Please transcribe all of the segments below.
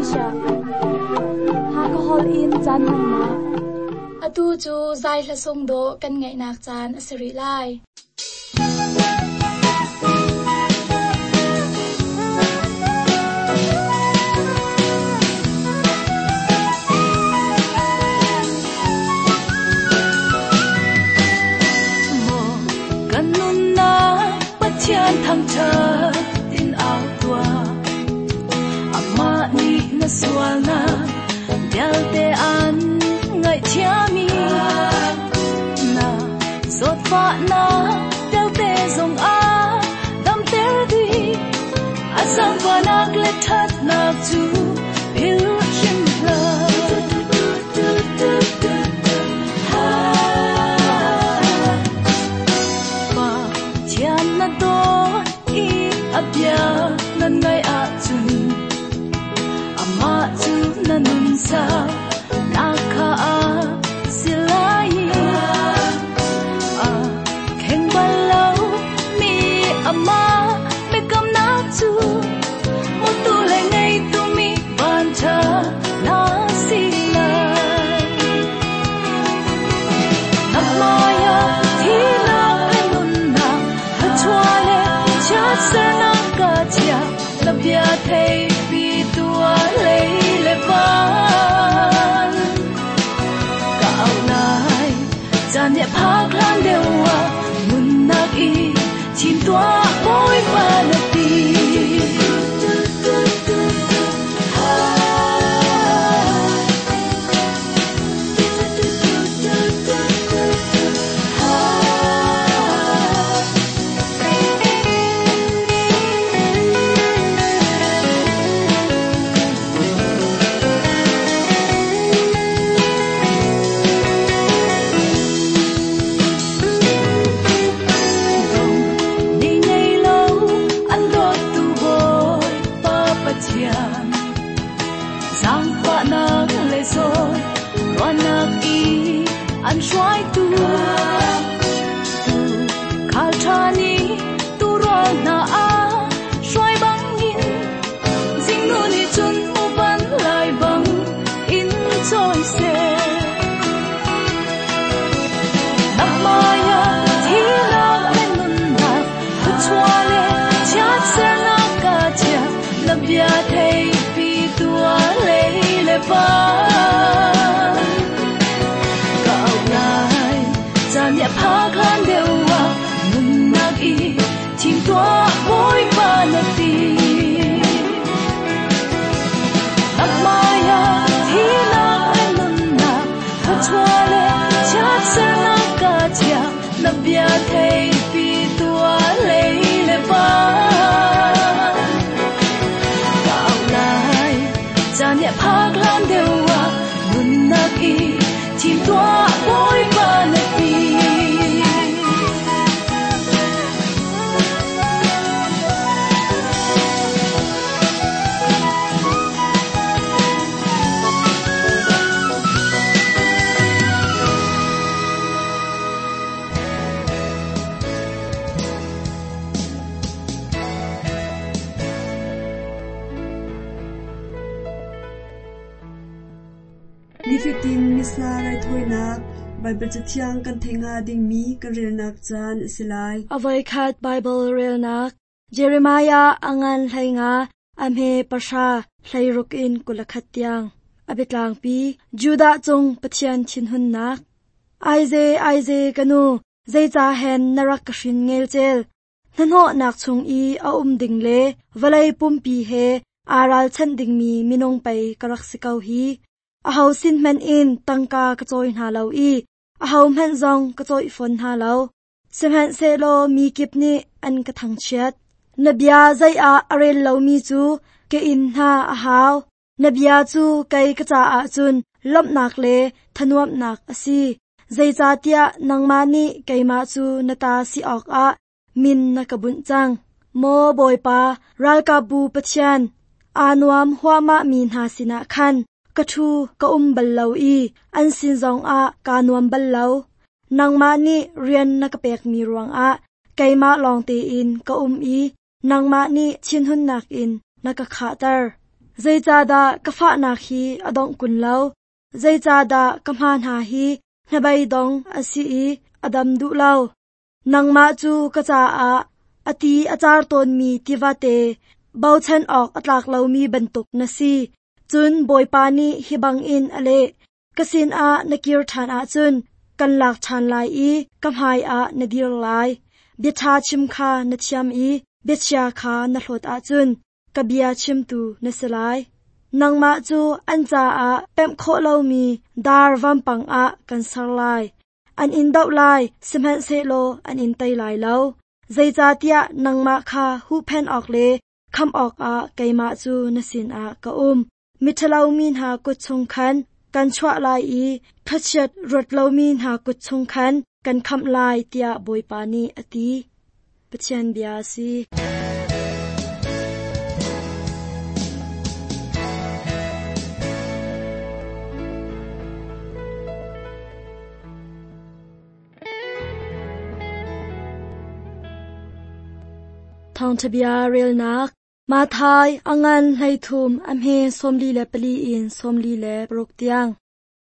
chiah. Hakha holh in caan hmannak. Atu cu zai hla sung dawh kan ngaihnak caan a si rih lai. Maw kan nunnak Pathian thangṭhat in au tuah. Amah nih na sualnak vialte an ngaihthiam i na zawtfahnak vialte zong a damter dih. A zaangfahnak le ṭhatnak cu philh hrim hlah. Pathian na dawt i a bia na ngaih ahcun amah cu na nun nak kha a si lai i a kheng bal lo mi amah biakamnak cu hmutu le ngeitu mi vanṭha na si lai. Na hmaiah thihnak le nunnak, thluachuah le chiatsernak ka chiah, na bia theihpi tuah lei le van. Ka auh lai, caan nih a phak hlan deuh ah, nunnak i thim tuah Bawipa na ti. Ni ngei lo an dawttu Bawipa Pathian, zaangfahnak le zawn ruahnak i an hruaitu. Tuukhal ṭha nih tuurual hna a hruai bangin, zingnu nih cun muvan lai bang in cawi seh. Na hmaiah thihnak le nunnak, thluachuah le chiatsernak ka chiah, na bia theihpi tuah lei le van. Ka auh lai, caan nih a phak hlan deuh ah, nunnak i thim tuah Bawipa na ti. Na hmaiah thihnak le nunnak, thluachuah le chiatsernak ka chiah, na bia theihpi tuah lei le van. Ka auh lai, caan nih a phak hlan deuh ah, nunnak i thim tuah Bawipa na ti. Nifatin Missa raithawinak Baibal Cathiang kan theih hnga dingmi kan relnak caan a si lai. A voikhat Baibal relnak Jeremiah a ngan 15 a hme 10 16 in 21 tiang. A biatlangpi Judah cung Pathian thinhunnak. Aize aize ka nu, zeicah hen na rak ka hrin ngelcel? Hnahnawhnak chung i a um ding le vawlei pumpi he aa ralchanh dingmi minung pei ka rak si ko hi. Aho sin hmanh in tangka ka cawi hna lo i ahohmanh zong ka cawih fawn hna lo. Sihmanhsehlaw mi kip nih an ka thangchiat. Na bia zei ah a rel lomi cu ka inn hna a hau. Na bia cu kei ka caah cun lawmhnak le thanuamnak a si. Zeicahtiah nangmah nih keimah cu na ta si awkah min na ka bunh cang. Maw Bawipa, ralkapbu Pathian, aa nuam huahmahmi hna sinah khan ka ṭhu ka um bal lo i an sin zongah kaa nuam bal lo. Nangmah nih rian na ka pekmi ruangah keimah lawng tein ka um i nangmah nih thinhunnak in na ka khahter. Zeicahdah ka fahnak hi a dongh kun lo? Zeicahdah ka hma hna hi hnabeidong a si i a dam duh lo? Nangmah cu ka caah a ti a car tawnmi tivate, bochan awk a tlak lomi bantuk na si. Cun Bawipa nih hi bangin a leh, Ka sinah na kir ṭhan ahcun kan lak ṭhan lai i ka hmaiah na dir lai. Bia ṭha chim kha na thiam i biachia kha na hlawt ahcun ka bia chimtu na si lai. Nangmah cu an caah pemh khawh lomi dar vampang ah kan ser lai. An in doh lai, sihmanhsehlaw an in tei lai lo. Zeicahtiah nangmah kha huhphenh awk le khamh awkah keimah cu na sinah ka um. Miṭhalo mi hna kut chung khan kan chuah lai i thlachiat ruat lomi hna kut chung khan kan khamh lai, tiah Bawipa nih a ti. Pathian bia a si. Thawngṭha bia relnak Matthai a ngan 13 a hme 44 in 46 tiang.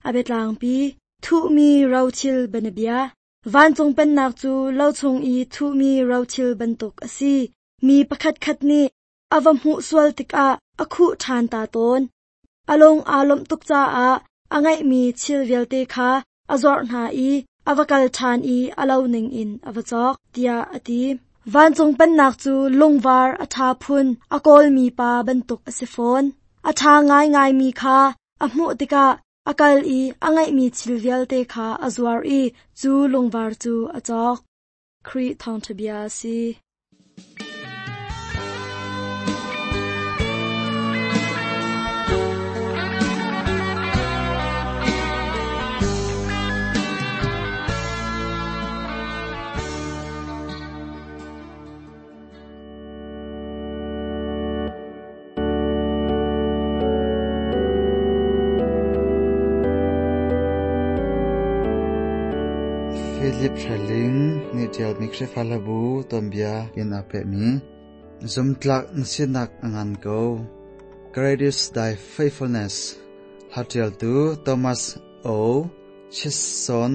A biatlangpi thuhmi rothil bianabia. Vancung pennak cu lo chung i thuhmi rothil bantuk a si. Mi pakhatkhat nih a va hmuh sual tikah a khuh ṭhan ta tawn. A lung aa lawmh tuk caah a ngeihmi thil vialte kha a zuarh hna i a va kal ṭhan i a lo ningin a va cawk, tiah a ti. Vancung pennak cu lungvar a ṭha phun a kawlmi pa bantuk a si fawn. A ṭha ngaingaimi kha a hmuh tikah a kal i a ngeihmi thil vialte kha a zuar i cu lungvar cu a cawk. Khrih thawngṭha bia a si. Philip Hreling nih ṭialmi Khrihfa hlabu tuanbia in aa pehmi Zumtlak na sinak a ngan ko. Great is thy faithfulness. Hla ṭialtu Thomas O. Chison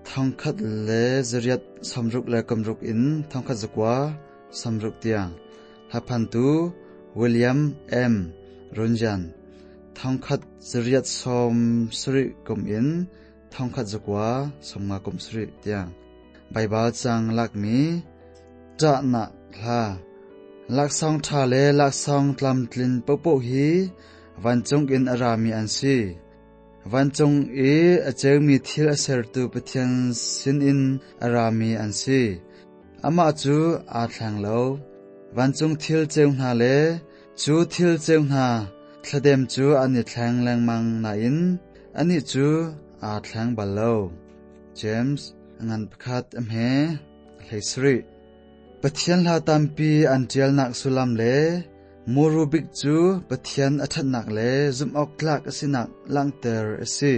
1866 in 1960 tiang. Hlaphantu William M. Runyan 1870 kum in 1957 tiang. Baibal cang lakmi ṭahnak hla laksawng ṭha le laksawng tlamtlin paohpaoh hi vancung in a rami an si. Vancung i a ceumi thil a sertu Pathian sinin a rami an si. Amah cu aa thleng lo. Vancung thil ceu hna le cu thil ceu hna thladem cu an i thleng lengmang nain anih cu aa thleng bal lo. James ngan pakhat a hme hlei sarih. Pathian hla tampi an ṭialnak sullam le muru bik cu Pathian a ṭhatnak le zumhawktlak a sinak langhter a si.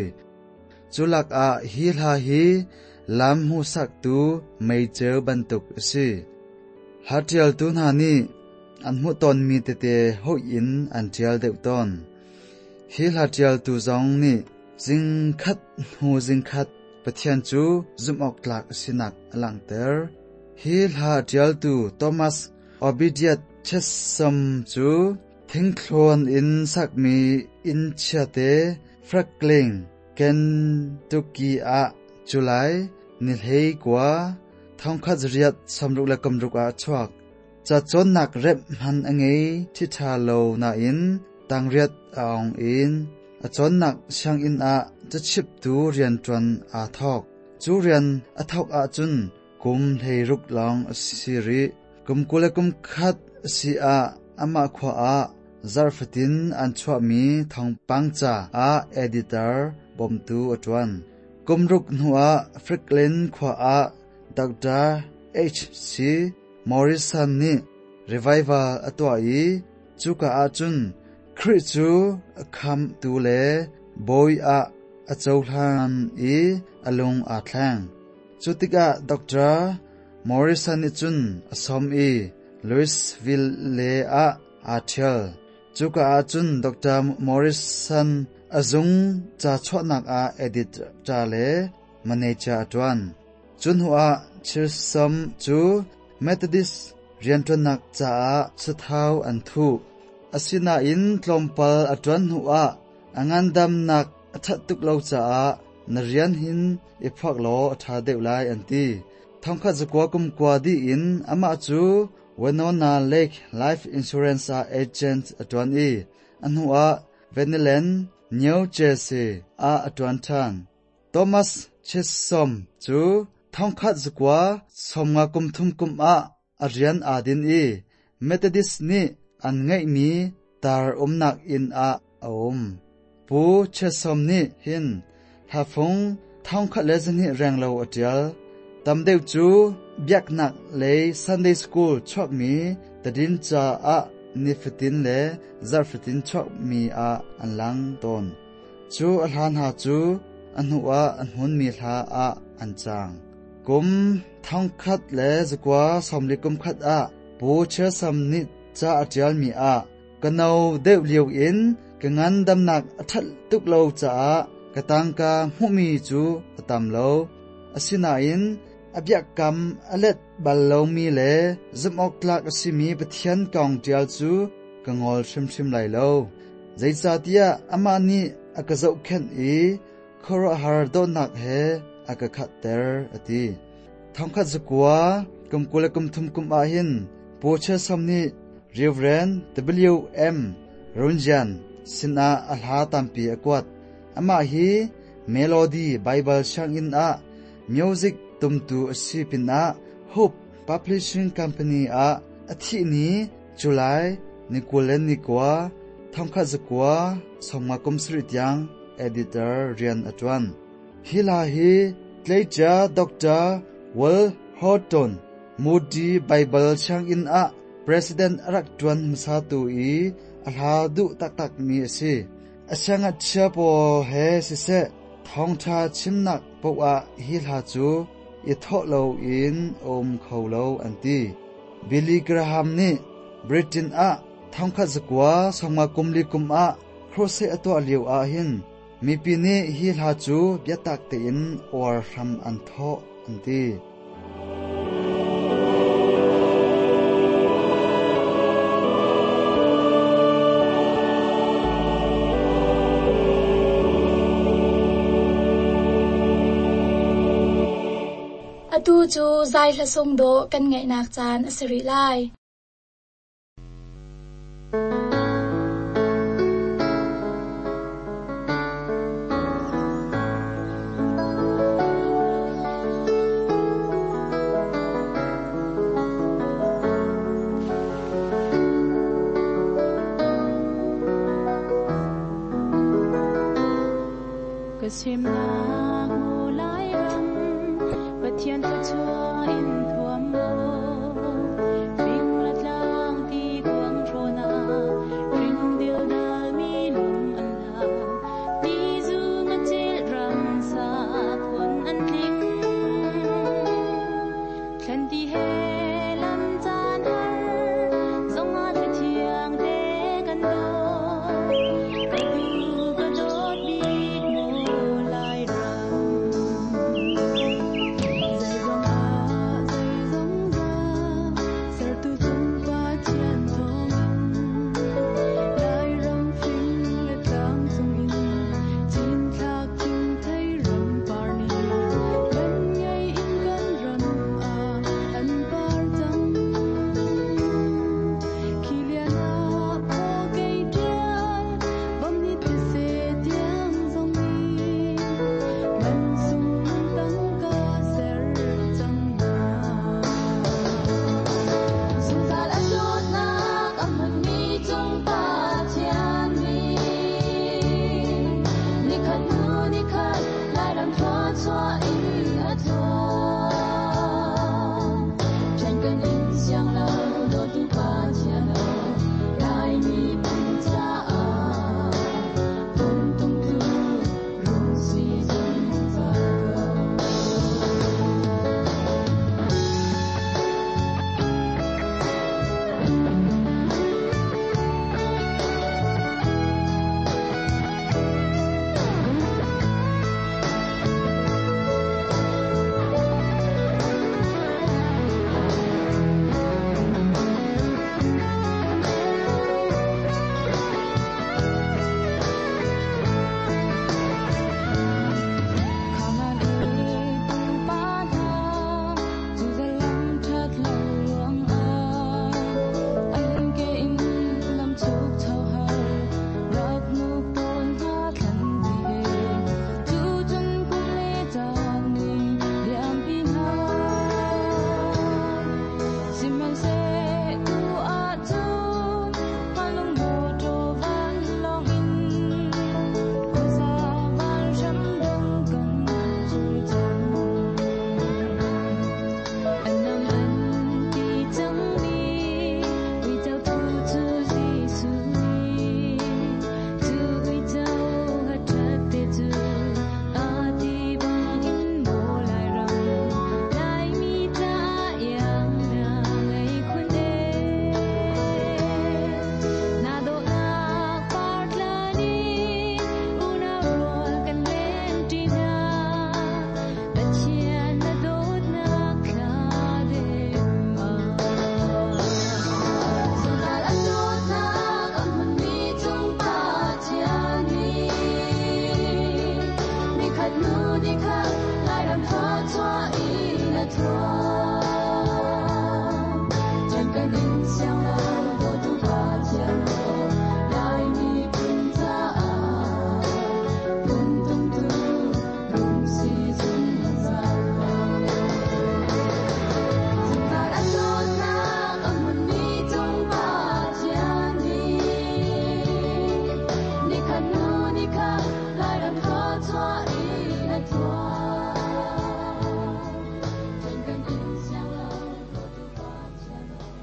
Cu lakah hi hla hi lam hmuhsaktu meiceu bantuk a si. Hla ṭialtu hna nih an hmuh tawnmi tete hoih in an ṭial deuh tawn. Hi hla ṭialtu zong nih zingkhat hnu zingkhat Pathian cu zumhawktlak a sinak a langhter. Hi hla ṭialtu Thomas Obediat Chessam cu thingthlawn in sakmi inn chiate Franklin, Kentucky ah July ni 19, 1866 ah a chuak. Cacawnnak remh hman a ngei ṭhiṭha lo nain tangriat a ong in a cawnnak sianginn ah cachimtu rianṭuan aa thawk. Cu rian a thawk ahcun kum 16 lawng a si rih. Kum 21 a si ah amah khua ah zarh fatin an chuahmi thawngpang ca ah editor bawmtu a ṭuan. Kum ruk hnuah Franklin khua ah Dr. H.C. Morrison nih revival a tuah i cuka ahcun Khrih cu a khamtu le bawi ah a cohlan i a lung aa thleng. Cu tikah Dr. Morrison nih cun a sawm i Louisville ah aa ṭhial. Cuka ahcun Dr. Morrison a zung ca chuahnak ah editor le manager a ṭuan. Cu hnuah Chisholm cu Methodist rianṭuannak caah sathau an thuh. Asinain tlawmpal a ṭuan hnuah a ngandamnak a ṭhat tuk lo caah na rian hin i phuak law a ṭha deuh lai an ti. Thongkhat zakua kum kua dih in amah cu Winona Lake Life Insurance ah agent a ṭuan i a hnuah Veniland, New Jersey ah a ṭuan ṭhan. Thomas Chisholm cu thongkhat zakua sawmnga kum thum kum ah a rian aa din i Methodist nih an ngeihmi tar umnak inn ah a um. Pu Chisholm nih hin hlafung 1200 renglo a ṭial. Tam deuh cu biaknak lei Sunday School chuakmi tadinca ah nifatin le zarhfatin chuakmi ah an lang tawn. Cu a hla hna cu a hnuah a hmunmi hla ah an cang. Kum 1941 ah Pu Chisholm nih ca a ṭialmi ah ka no deuh lio in ka ngandamnak a ṭhat tuk lo caah ka tangka hmuhmi cu a tam lo. Asinain a biakam a let bal lomi le zumhawktlak a simi Pathian kong ṭial cu ka ngol hrimhrim lai lo. Zeicahtiah amah nih a ka zohkhenh i khuaruahhar dawtnak he a ka khatter, a ti. 1930 kum ah hin Pu Chisholm nih Reverend W. M. Runyan sinah a hla tampi a kuat. Amah hi Melody Bible sianginn ah music tumtu a si pinah Hope Publishing Company ah a thih ni July ni 29, 1957 tiang editor rian a ṭuan. Hi hla hi tleicia Dr. Will Horton Moody Bible sianginn ah president a rak ṭuan hmasatu i a hla duh taktakmi a si. A siangngakchia pawl he siseh thawngṭha chimnak paoh ah hi hla cu i thawh loin a um kho lo an ti. Billy Graham nih Britain ah 1954 kum ah crusade a tuah lio ah hin mipi nih hi hla cu biatak tein uar hram an thawh an ti. Atu cu zai hla sung dawh kan ngaihnak caan a si rih lai. Ka semnak mu lai ram Pathian thluachuah in thuam law fing le tlang ti kuang hrawn ah hring dildal mi lung an la ti zu ngacil ram sa phun an tling thlan ti he lam caan har zongah thla thiang te kan daw ka du ka dawt bik mu lai ram. kha Lairam thluachuah in a tluang. Ṭhen kan in siang lo, dawtu Pathian aw.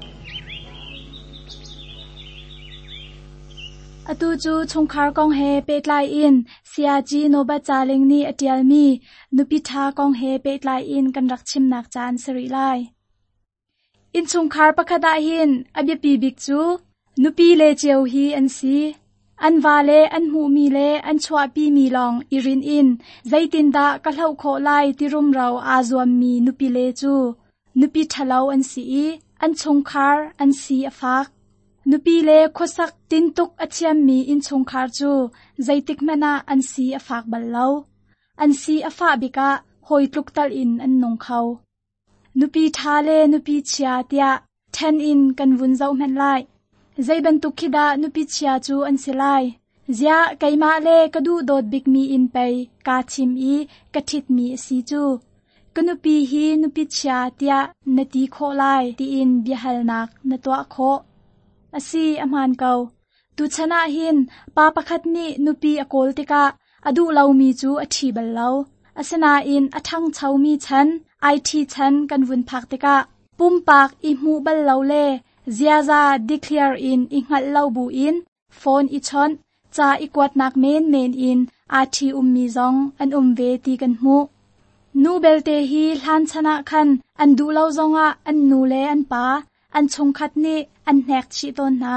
Atu cu chungkhar kong he pehtlai in Sayaci Nobat Caling nih a ṭialmi nupi ṭha kong he pehtlai in kan rak chimnak caan si rih lai. Innchungkhar pakhat ah hin a biapi bik cu nupi le cio hi an si. An va le an hmuhmi le an chuahpimi lawng i rinh in zeitindah ka hloh khawh lai ti rumro aa zuammi nupi le cu nupi ṭhalo an si i an chungkhar an si a fak. Nupi le khuasak tintuk a thiammi innchungkhar cu zeitikhmanh ah an si a fak bal lo. An si a fah bik ah hawi tluk tal in an nung kho. Nupi ṭha le nupi chia tiah ṭhen in kan vun zoh hmanh lai. Zei bantuk khi dah nupi chia cu an si lai? Ziah keimah le ka duhdawt bikmi in pei kaa thim i ka ṭhitmi a si cu. Ka nupi hi nupi chia tiah na ti khawh lai tiin biahalnak na tuah khawh. A si, a hmaan ko. Tuchan ah hin pa pakhat nih nupi a kawl tikah a duh lomi cu a ṭhi bal lo. Asinain a ṭhangchomi chan, IT chan kan vun phak tikah pumpak i hmuh bal lo le ziaza declare in i hngalh lo buin phone i chawnh, ca i kuatnak menmen in aa ṭhi ummi zong an um ve ti kan hmuh. Nu belte hi hlan chan ah khan an duh lo zongah an nu le an pa, an chungkhat nih an hnek chih tawn hna.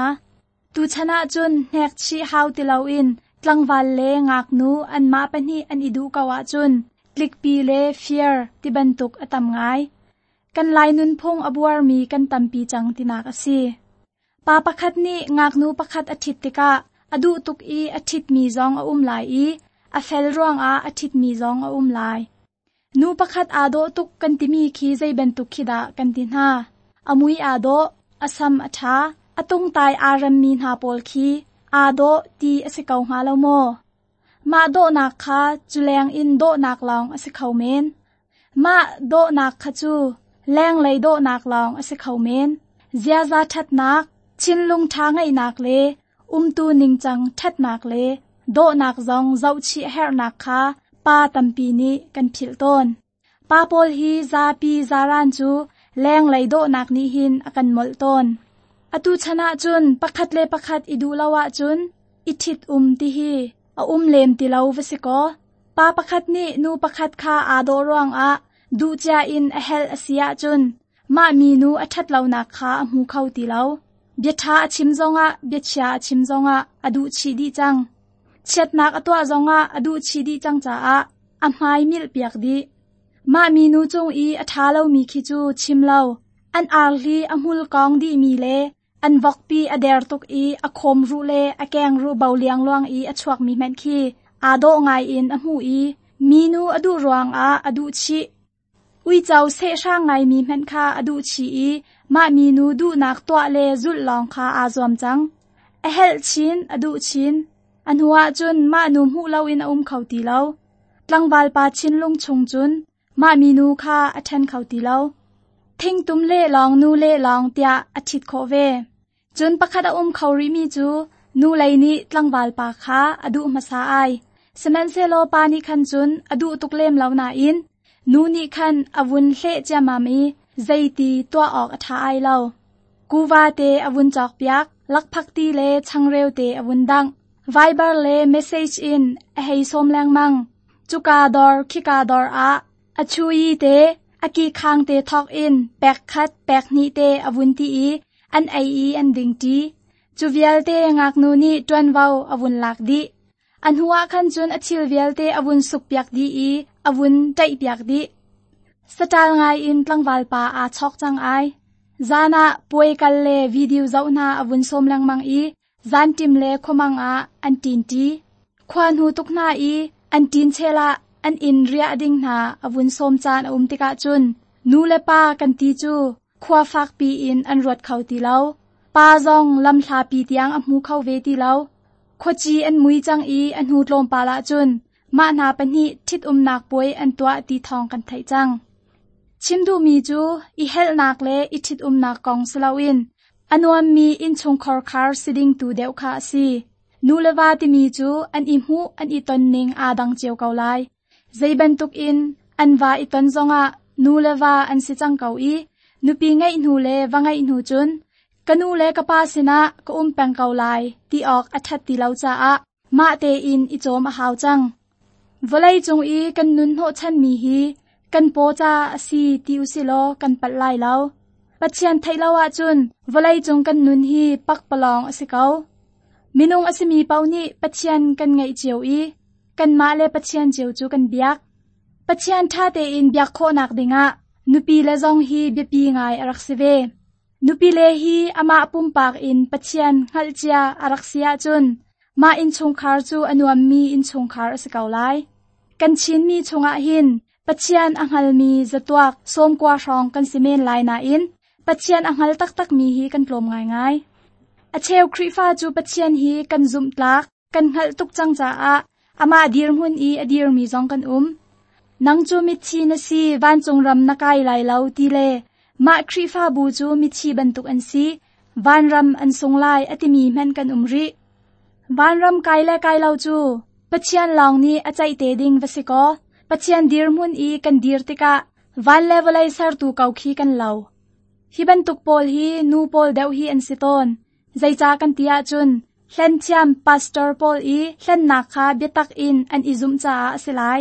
Tuchan ahcun hnek chih hau ti loin tlangval le ngaknu anmah pahnih an i duh ko ahcun tlikpi le fir ti bantuk a tam ngai. Kan Lai nunphung a buarmi kan tampi cang tinak a si. Pa pakhat nih ngaknu pakhat a ṭhit tikah a duh tuk i a ṭhitmi zong a um lai i a fel ruangah a ṭhitmi zong a um lai. Nu pakhat aa dawh tuk kan timi khi zei bantuk khi dah kan ti hna. A mui aa dawh, a sam a ṭha, a tungtai aa remmi hna pawl khi aa dawh ti a si ko hnga lo maw? Mah dawhnak kha culeng in dawhnak lawng a si kho men. Mah dawhnak kha cu lenglei dawhnak lawng a si kho men. Ziaza ṭhatnak, thinlung ṭha ngeihnak le umtu ningcang ṭhatnak le dawhnak zong zohchih a herhnak kha pa tampi nih kan philh tawn. Pa pawl hi zapi zaran cu lenglei dawhnak nih hin a kan molh tawn. Atu chan ahcun pakhat le pakhat i duh lo ahcun i ṭhit um ti hi a um lem ti lo va si kaw. Pa pakhat nih nu pakhat kha aa dawh ruangah duh cia in a helh a si ahcun mah minu a ṭhat lonak kha a hmu kho ti lo. Bia ṭha a chim zongah biachia a chim zongah a duh chih dih cang. Chiatnak a tuah zongah a duh chih dih cang caah a hmai milh piak dih. Mah minu cung i a ṭha lomi khi cu chim lo. An arhli a hmul kawng dihmi le an vokpi a der tuk i a khawm ruh le a keng ruh bo liangluang i a chuakmi hmanh khi aa dawh ngai in a hmuh i minu a duh ruangah a duh chih. Uico sehhrang ngaimi hmanh kha a duh chih i mah minu duhnak tuah le zulh lawng kha aa zuam cang. A helh chin, a duh chin. A hnuah cun mah nu hmuh loin a um kho ti lo. Tlangval pa thinlung chung cun mah minu kha a ṭhen kho ti lo. Thingtum le lawng nu le lawng tiah a ṭhit khawh ve. Cun pakhat a um kho rihmi cu nu lei nih tlangval pa kha a duh hmasa ai. Sihmanhsehlaw pa nih khan cun a duh tuk lem lo nain nu nih khan a vun hleh ciammam i zeiti tuah awk a ṭha ai lo. Kuva te a vun cawkpiak, lakphakti le changreu te a vun dangh. Viber le message in a hei sawm lengmang. Cuka dawr khika dawr ah a chui te a ki khang te thawk in pek khat pek hnih te a vun ti i an ei i an ding ṭi. Cu vialte ngaknu nih ṭuanvo a vun lak dih. A hnuah khan cun a thil vialte a vun sukpiak dih i a vun ṭaihpiak dih. Saṭal ngai in tlangval pa aa chawk cang ai. Zan ah puai kal le video zoh hna a vun sawm lengmang i zanṭim le khuamang ah an ṭin ṭi. Khua hnu tuk hna i an ṭin chel ah an inn riah ding hna a vun sawm caan a um tikah cun nu le pa kan ti cu khua fakpi in an ruat kho ti lo. Pa zong lamhlapi tiang a hmu kho ve ti lo. Khuaci an mui cang i a hnu tlawmpal ahcun mah hna pahnih ṭhitumnak puai an tuah ti thawng kan theih cang. Chim duhmi cu i helhnak le i ṭhitumnak kong si loin a nuammi innchungkhar khar si ding tu deuh kha a si. Nu le va timi cu an i hmuh an i ton ning aa dang cio ko lai. Zei bantuk in an va i ton zongah nu le va an si cang ko i nupi ngeih hnu le va ngeih hnu cun ka nu le ka pa sinah ka um peng ko lai ti awk a ṭhat ti lo caah mah tein i cawm a hau cang. Vawlei cung i kan nun hnawhchanmi hi kan paw ca a si ti usilaw kan palh lai lo. Pathian theih lo ahcun vawlei cung kan nun hi pakpalawng a si ko. Minung a simi paoh nih Pathian kan ngeih cio i kanmah le Pathian cio cu kan biak. Pathian ṭha tein biak khawhnak dingah nupi le zong hi biapi ngai a rak si ve. Nupi le hi amah pumpak in Pathian hngalhcia a rak si ahcun mah innchungkhar cu a nuammi innchungkhar a si ko lai. Kan Chinmi chungah hin Pathian a hngalmi zatuak sawmkua hrawng kan si men lai nain Pathian a hngal taktakmi hi kan tlawm ngaingai. A cheu Khrihfa cu Pathian hi kan zumhtlak, kan hngalh tuk cang caah amah dirhmun i a dirmi zong kan um. Nang cu mithi na si, vancung ram na kai lai lo ti le mah Khrihfabu cu mithi bantuk an si, vanram an sung lai a timi hmanh kan um rih. Vanram kai le kai lo cu Pathian lawng nih a ceih te ding va si kaw, Pathian dirhmun i kan dir tikah van le vawlei sertu ko khi kan lo. Hi bantuk pawl hi nu pawl deuh hi an si tawn. Zeicah kan ti ahcun hlenthiam pastor pawl i hlennak kha biatak in an i zumh caah a si lai.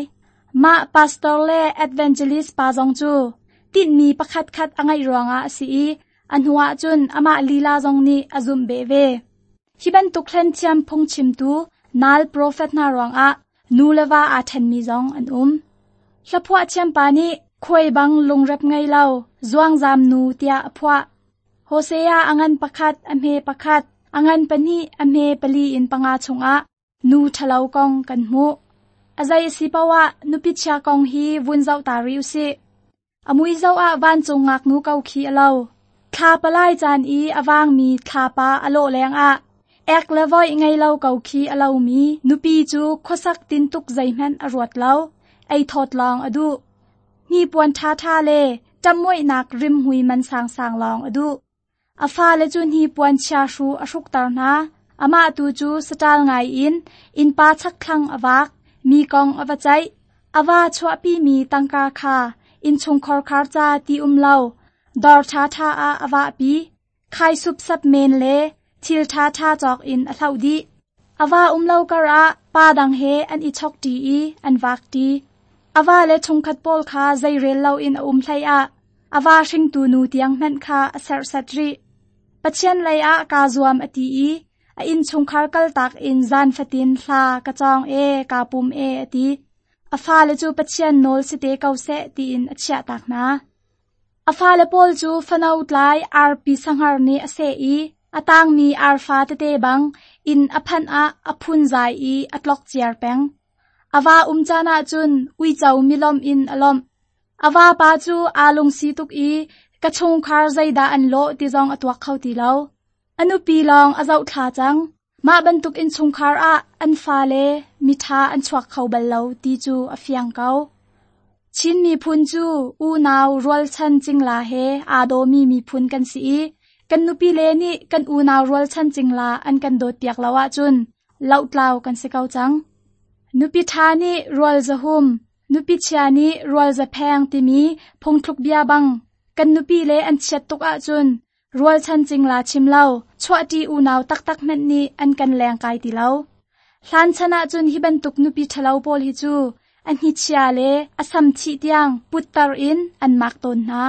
Mah pastor le evangelist pa zong cu tinhmi pakhat khat a ngeih ruangah a si i a hnuah cun amah lila zong nih a zumh beh ve. Hi bantuk hlenthiam phungchimtu nal profet hna ruangah nu le va aa ṭhenmi zong an um. Hlaphuah thiampa nih khuai bang lungrep ngei lo, zuangzam nu tiah a phuah. Hosea a ngan pakhat, a hme pakhat, a ngan pahnih, a hme pali in panga chungah nu ṭhalo kong kan hmuh. A zei a si paoh ah nupi chia kong hi vun zoh ta rih usih. A mui zoh ah vancung ngaknu ko khi a lo. Thla palai caan i a vangmi thlapa a lawh lengah ek le voih ngei lo ko khi a lomi nupi cu khuasak tintuk zeihmanh a ruat lo, ei thawt lawng a duh. Hnipuan ṭhaṭha le ṭamhmoihnak rimhmui man sangsang lawng a duh. A fale cu hnipuan chiahru a hrukter hna. Amah tu cu saṭal ngai in innpa chakthlang a vak, mi kong a va ceih. A va chuahpimi tangka kha innchungkhar khar ca ti um lo, dawr ṭhaṭha ah a vahpi. Khai supsap men le thil ṭhaṭha cawk in a hloh dih. A va um lo karah pa dang he an i chokṭi i an vakṭi. A va le chungkhat pawl kha zeirel loin a um hleiah a va hringtu nu tiang hmanh kha a serhsat rih. Pathian lei ah kaa zuam a ti i a innchungkhar kaltak in zan fatin hla ka cawng e, kaa pum e a ti. A fale cu Pathian nawl si te ko seh tiin a chiahtak hna. A fale pawl cu fano tlai arpi sahngar nih a seh i a tangmi arfa tete bang inn a phanh ah a phunzai i a tlok ciar peng. A va um caan ahcun uico milawmh in a lawmh. A vapa cu aa lungsi tuk i ka chungkhar zeidah an lawh ti zong a tuak kho ti lo. A nupi lawng a zohthla cang. Mah bantuk innchungkhar ah an fale miṭha an chuak kho bal lo ti cu a fiang ko. Chin miphun cu unau rualchan cingla he aa dawmi miphun kan si i kan nupile nih kan unau rualchan cingla an kan dawtpiak lo ahcun lohtlau kan si ko cang. Nupi ṭha nih rual zahum, nupi chia nih rual zapheng timi phungthluk bia bang kan nupile an chiat tuk ahcun rualchan cingla chim lo, chuahṭi unau taktak hmanh nih an kan lengkai ti lo. Hlan chan ahcun hi bantuk nupi ṭhalo pawl hi cu a hnichia le a sam thih tiang putter in an mak tawn hna.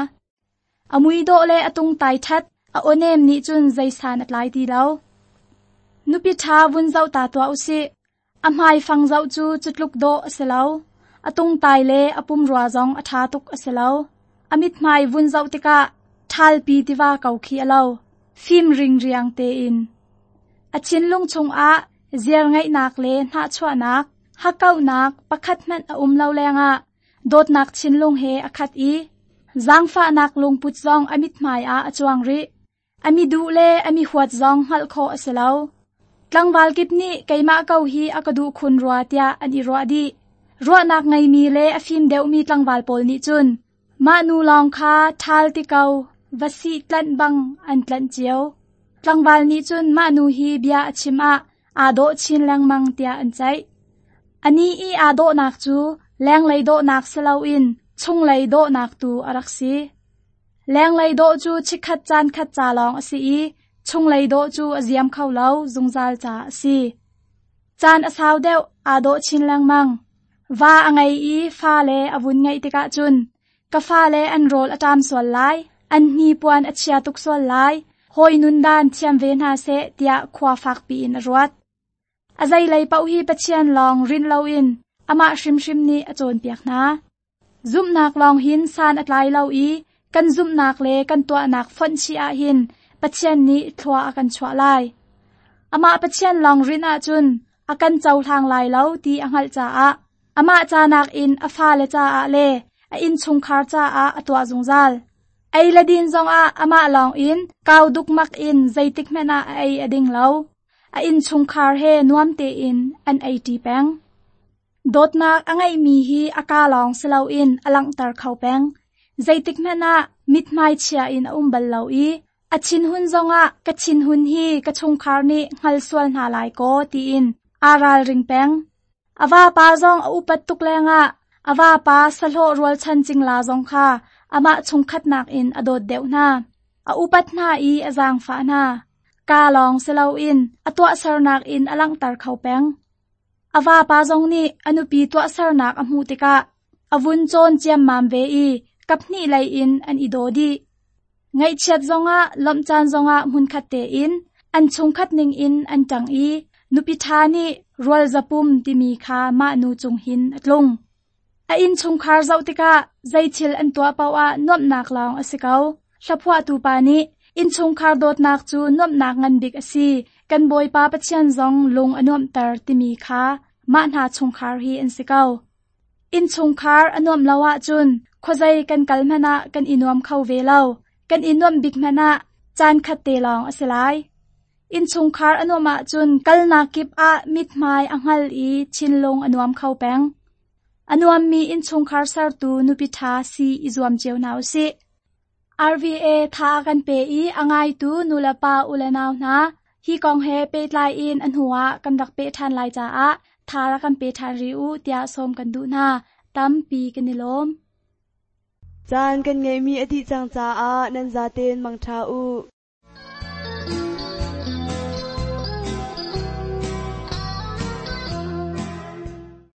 A muidawh le a tungtai ṭhat, a awnem nih cun zeisan a tlai ti lo. Nupi ṭha vun zoh ta tuah usih. A hmaifang zoh cu cutluk dawh a si lo. A tungtai le a pumrua zong a ṭha tuk a si lo. A mithmai vun zoh tikah ṭhalpi tiva ko khi a lo, fim ringriang tein. A thinlung chungah ziarngeihnak le hnahchuahnak, hakkauhnak pakhat hmanh a um lo lengah dawtnak thinlung he a khat i zaangfahnak lungput zong a mithmai ah a cuang rih. A mi duh le a mi huat zong hngalh khawh a si lo. Tlangval kip nih keimah ko hi a ka duh khun rua tiah an i ruah dih. Ruahnak ngeimi le a fim deuhmi tlangval pawl nih cun mah nu lawng kha ṭhal ti ko, va sih tlanh bang an tlanh cio. Tlangval nih cun mah nu hi bia a chim ah Aa dawh chin lengmang tiah an ceih. Anih i aa dawhnak cu lenglei dawhnak si loin chunglei dawhnak tu a rak si. Lenglei dawh cu chikkhat caan khat ca lawng a si i chunglei dawh cu a ziam kho lo zungzal ca a si. Caan a sau deuh aa dawh chin lengmang. Va a ngei i fale a vun ngeih tikah cun ka fale an rawl a ṭam sual lai, an hnipuan a chia tuk sual lai, hawi nundan thiam ve hna seh tiah khua fakpi in a ruat. A zeilei paoh hi Pathian lawng rinh loin amah hrimhrim nih a cawnpiak hna. Zumhnak lawng hin san a tlai lo i kan zumhnak le kan tuahnak fonh chih ahhin Pathian nih thlua a kan chuah lai. Amah Pathian lawng rinh ahcun a kan cohlang lai lo ti a hngalh caah amah ca nakin a fale caah le a innchungkhar caah a tuah zungzal. Ei le din zongah amah lawng in kau dukmak in zeitik hmanh ah a ei a ding lo. A innchungkhar he nuam tein an ei ṭi peng. Dawtnak a ngeihmi hi a kaa lawng si loin a langhter kho peng. Zeitik hmanh ah mithmai chia in a um bal lo i a thinhun zongah ka thinhun hi ka chungkhar nih hngal sual hna lai kaw tiin aa ralring peng. A vapa zong a upat tuk lengah a vapa sahlawh rualchan cingla zong kha amah chungkhatnak in a dawt deuh hna. A upat hna i a zaangfah hna. Kaa lawng si loin a tuahsernak in a langhter kho peng. A vapa zong nih a nupi tuahsernak a hmuh tikah a vun cawn ciammam ve i kaphnih lei in an i daw dih. Ngaihchiat zongah lawmh caan zongah hmunkhat tein an chungkhat ningin an ṭang i nupi ṭha nih rual zapum timi kha mah nu cung hin a tlung. A innchungkhar zoh tikah zeithil an tuah paoh ah nuamhnak lawng a si ko. Hlaphuahtu pa nih innchungkhar dawtnak cu nuamhnak ngan bik a si, kan Bawipa Pathian zong lung a nuamhter timi kha mah hna chungkhar hi an si ko. Innchungkhar a nuamh lo ahcun khuazei kan kal hmanh ah kan i nuam kho ve lo. Kan i nuamh bik hmanh ah caan khat te lawng a si lai. Innchungkhar a nuamh ahcun kalnak kip ah mithmai a hngal i thinlung a nuam kho peng. A nuammi innchungkhar sertu nupi ṭha si i zuam cio hna u sih. RVA tha a kan pe i a ngaitu nulepa ulenau hna, hi kong he pehtlai in a hnuah kan rak peh ṭhan lai caah tha rak kan pe ṭhan rih u tiah sawm kan duh hna. Tampi kan i lawm. Caan kan ngeihmi a dih cang caah nan zaten mangṭha u.